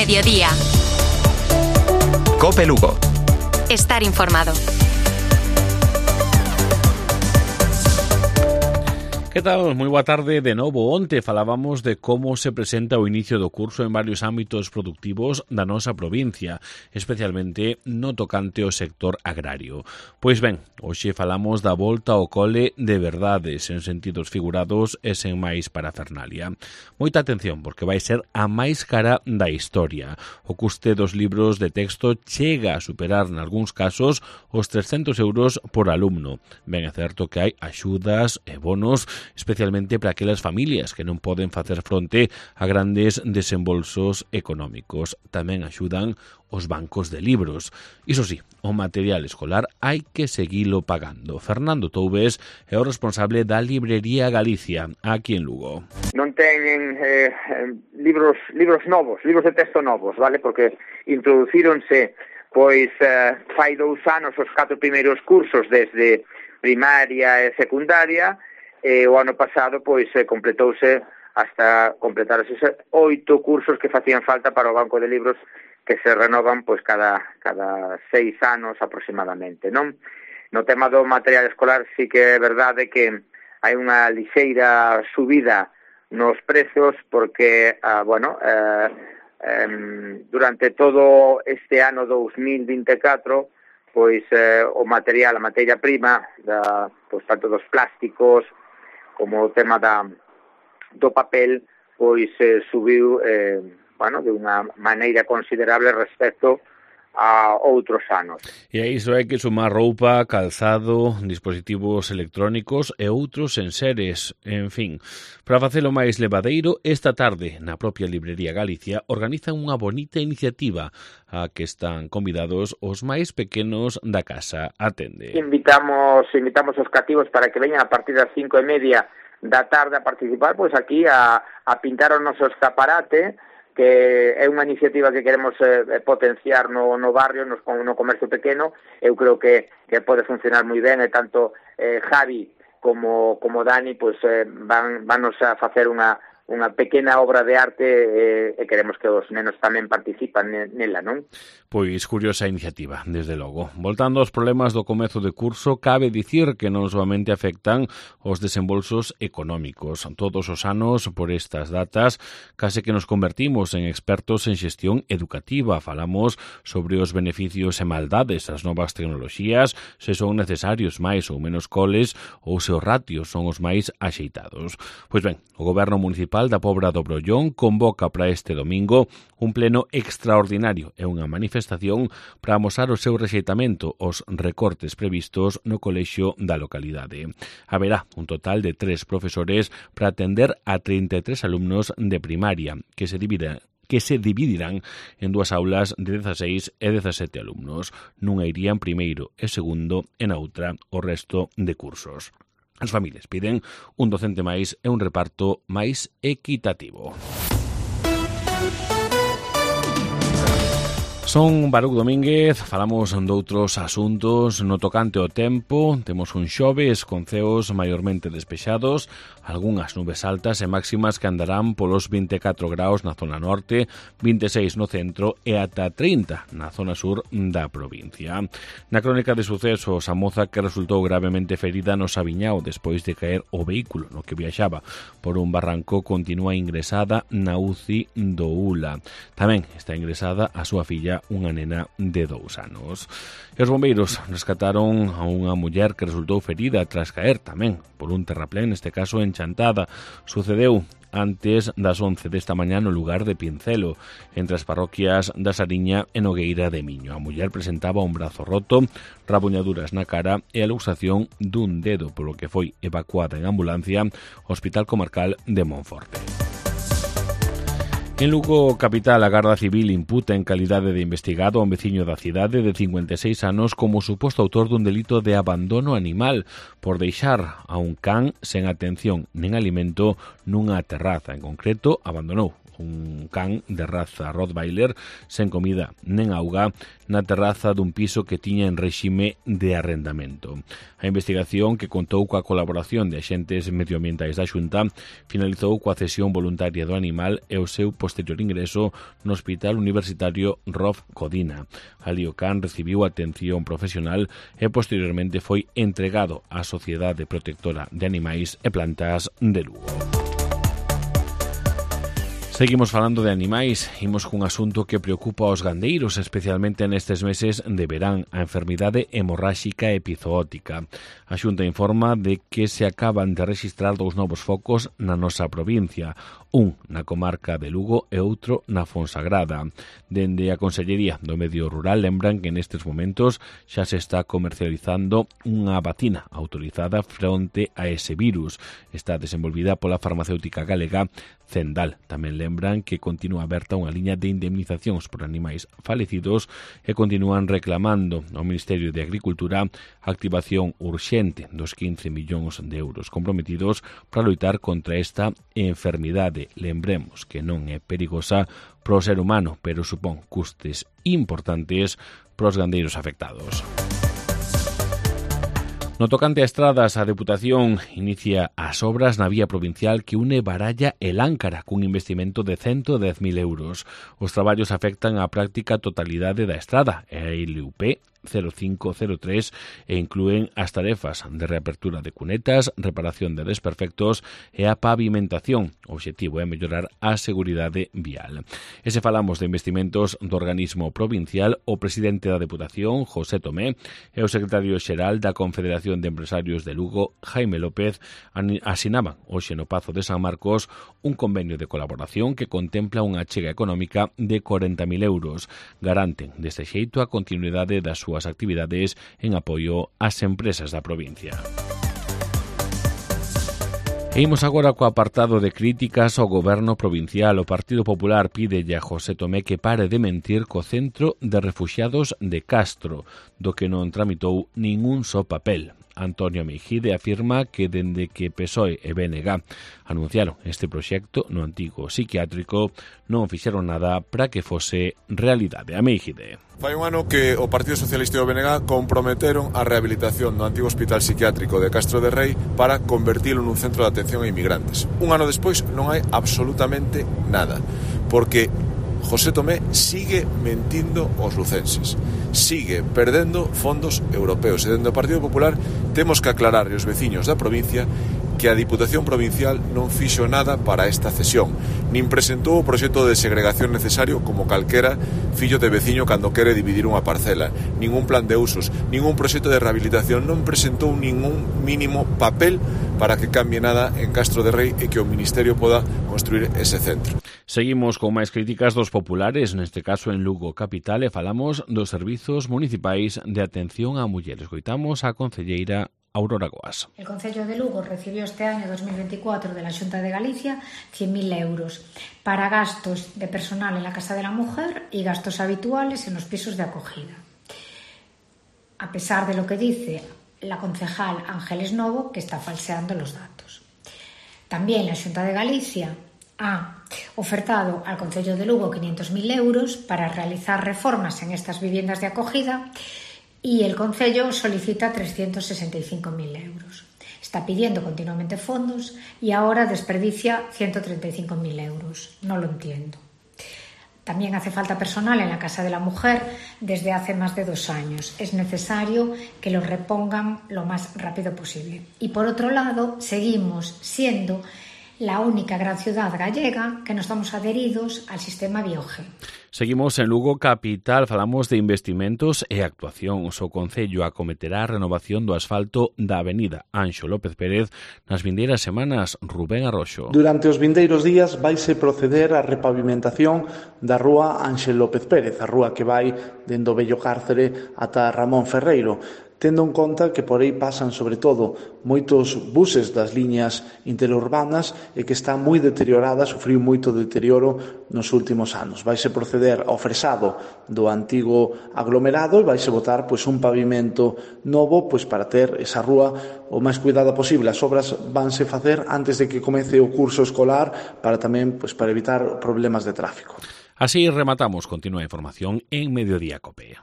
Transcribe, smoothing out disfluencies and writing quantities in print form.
mediodía. COPE Lugo. Estar informado. Que tal? Moi boa tarde de novo. Onte falábamos de como se presenta o inicio do curso en varios ámbitos productivos da nosa provincia, especialmente no tocante ao sector agrario. Pois ben, hoxe falamos da volta ao cole de verdade, sen sentidos figurados e sen máis parafernalia. Moita atención, porque vai ser a máis cara da historia. O custe dos libros de texto chega a superar, nalgúns casos, os 300 euros por alumno. Ben é certo que hai axudas e bonos, especialmente para aquelas familias que non poden facer fronte a grandes desembolsos económicos. Tamén axudan os bancos de libros. Iso sí, o material escolar hai que seguilo pagando. Fernando Toubes é o responsable da Librería Galicia, aquí en Lugo. Non teñen libros novos, libros de texto novos, vale? Porque introducíronse pois fai 2 anos os 4 primeiros cursos desde primaria e secundaria. O ano pasado pois completouse hasta completarse 8 cursos que facían falta para o banco de libros que se renovan pois cada 6 anos aproximadamente, non? No tema do material escolar sí que é verdade que hai unha lixeira subida nos prezos porque, durante todo este ano 2024 pois o material, a materia prima pois tanto dos plásticos como o tema do papel, pois subiu de unha maneira considerable respecto a outros anos. E a iso hai que sumar roupa, calzado, dispositivos electrónicos e outros enseres, en fin. Para facelo máis levadeiro, esta tarde, na propia Librería Galicia, organizan unha bonita iniciativa a que están convidados os máis pequenos da casa. Atende. Invitamos os cativos para que veñan a partir das 5:30 da tarde a participar, pois aquí a pintar o noso escaparate, que é unha iniciativa que queremos potenciar no barrio, no comercio pequeno. Eu creo que pode funcionar moi ben, e tanto Javi como Dani pois vanos a facer unha pequena obra de arte e queremos que os nenos tamén participan nela, non? Pois curiosa iniciativa, desde logo. Voltando aos problemas do comezo de curso, cabe dicir que non somente afectan os desembolsos económicos. Todos os anos, por estas datas, case que nos convertimos en expertos en xestión educativa. Falamos sobre os beneficios e maldades das novas tecnoloxías, se son necesarios máis ou menos coles ou se os ratios son os máis axeitados. Pois ben, o Goberno Municipal da Pobra do Brollón convoca para este domingo un pleno extraordinario e unha manifestación para amosar o seu rexeitamento aos recortes previstos no colexio da localidade. Haberá un total de 3 profesores para atender a 33 alumnos de primaria que se dividirán en 2 aulas de 16 e 17 alumnos. Nunha irían primeiro e segundo e na outra o resto de cursos. As familias piden un docente máis e un reparto máis equitativo. Son Baruc Domínguez, falamos doutros asuntos no tocante ao tempo. Temos un xoves con ceos maiormente despexados, algunhas nubes altas e máximas que andarán polos 24 graus na zona norte, 26 no centro e ata 30 na zona sur da provincia. Na crónica de sucesos, a moza que resultou gravemente ferida no Sabiñao despois de caer o vehículo no que viaxaba por un barranco continúa ingresada na UCI do ULA. Tamén está ingresada a súa filla, unha nena de 2 anos. E os bombeiros rescataron a unha muller que resultou ferida tras caer tamén por un terraplén, neste caso en Chantada. Sucedeu antes das 11 desta mañá no lugar de Pincelo, entre as parroquias da Sariña e Nogueira de Miño. A muller presentaba un brazo roto, rabuñaduras na cara e a luxación dun dedo, polo que foi evacuada en ambulancia ao Hospital Comarcal de Monforte. En Lugo capital, a Garda Civil imputa en calidade de investigado a un veciño da cidade de 56 anos como suposto autor dun delito de abandono animal por deixar a un can sen atención nen alimento nunha terraza. En concreto, abandonou un can de raza Rottweiler sen comida nen auga na terraza dun piso que tiña en réxime de arrendamento. A investigación, que contou coa colaboración de axentes medioambientais da Xunta, finalizou coa cesión voluntaria do animal e o seu posterior ingreso no Hospital Universitario Rolf Codina. Ali o can recibiu atención profesional e posteriormente foi entregado á Sociedade Protectora de Animais e Plantas de Lugo. Seguimos falando de animais, imos cun asunto que preocupa aos gandeiros, especialmente nestes meses de verán, a enfermidade hemorráxica epizootica. A Xunta informa de que se acaban de rexistrar 2 novos focos na nosa provincia, un na comarca de Lugo e outro na Fonsagrada. Dende a Consellería do Medio Rural lembran que nestes momentos xa se está comercializando unha vacina autorizada fronte a ese virus. Está desenvolvida pola farmacéutica galega Zendal. Tamén lembran que continúa aberta unha liña de indemnizacións por animais falecidos e continúan reclamando ao Ministerio de Agricultura a activación urxente dos 15 millóns de euros comprometidos para loitar contra esta enfermidade. Lembremos que non é perigosa para o ser humano, pero supón custes importantes para os gandeiros afectados. No tocante a estradas, a Deputación inicia as obras na vía provincial que une Baralla e Láncara cun investimento de 110.000 euros. Os traballos afectan a práctica totalidade da estrada e a LUP 0503 e inclúen as tarefas de reapertura de cunetas, reparación de desperfectos e a pavimentación. O obxectivo é mellorar a seguridade vial. E se falamos de investimentos do organismo provincial, o presidente da Deputación, José Tomé, e o secretario xeral da Confederación de Empresarios de Lugo, Jaime López, asinaban hoxe no Pazo de San Marcos un convenio de colaboración que contempla unha achega económica de 40.000 euros. Garanten deste xeito a continuidade das súas actividades en apoio ás empresas da provincia. E imos agora co apartado de críticas ao goberno provincial. O Partido Popular pide a José Tomé que pare de mentir co Centro de Refuxiados de Castro, do que non tramitou ningún só papel. Antonio Meijide afirma que dende que PSOE e BNG anunciaron este proxecto no antigo psiquiátrico non fixeron nada para que fose realidade. A Meijide. Fai un ano que o Partido Socialista e o BNG comprometeron a rehabilitación do antigo hospital psiquiátrico de Castro de Rei para convertilo nun centro de atención a inmigrantes. Un ano despois non hai absolutamente nada, porque José Tomé sigue mentindo aos lucenses, sigue perdendo fondos europeos e dende o Partido Popular temos que aclarar aos veciños da provincia que a Diputación Provincial non fixo nada para esta cesión, nin presentou o proxecto de segregación necesario como calquera fillo de veciño cando quere dividir unha parcela, ningún plan de usos, ningún proxecto de rehabilitación, non presentou ningún mínimo papel para que cambie nada en Castro de Rei e que o Ministerio poda construir ese centro. Seguimos con máis críticas dos populares, neste caso en Lugo capital, e falamos dos servizos municipais de atención a mulleres. Coitamos a concelleira Aurora Goas. El Concello de Lugo recibió este año 2024 de la Xunta de Galicia 100.000 euros para gastos de personal en la Casa de la Mujer y gastos habituales en los pisos de acogida. A pesar de lo que dice la concejal Ángeles Novo, que está falseando los datos. También la Xunta de Galicia ha ofertado al Concello de Lugo 500.000 euros para realizar reformas en estas viviendas de acogida y el Concello solicita 365.000 euros. Está pidiendo continuamente fondos y ahora desperdicia 135.000 euros. No lo entiendo. También hace falta personal en la Casa de la Mujer desde hace más de 2 años. Es necesario que lo repongan lo más rápido posible. Y por otro lado, seguimos siendo la única gran ciudad gallega que no estamos adheridos al sistema Bioge. Seguimos en Lugo capital, falamos de investimentos e actuacións. O Concello acometerá a renovación do asfalto da avenida Anxo López Pérez nas vindeiras semanas. Rubén Arroxo. Durante os vindeiros días vaise proceder á repavimentación da rúa Ángel López Pérez, a rúa que vai dende o Vello Cárcere ata Ramón Ferreiro. tendo en conta que por aí pasan sobre todo moitos buses das liñas interurbanas e que está moi deteriorada, sufriu moito deterioro nos últimos anos. Vaise proceder ao fresado do antigo aglomerado e vaise botar un pavimento novo para ter esa rúa o máis cuidada posible. As obras vanse facer antes de que comece o curso escolar para tamén para evitar problemas de tráfico. Así rematamos. Continúa a información en Mediodía Cope.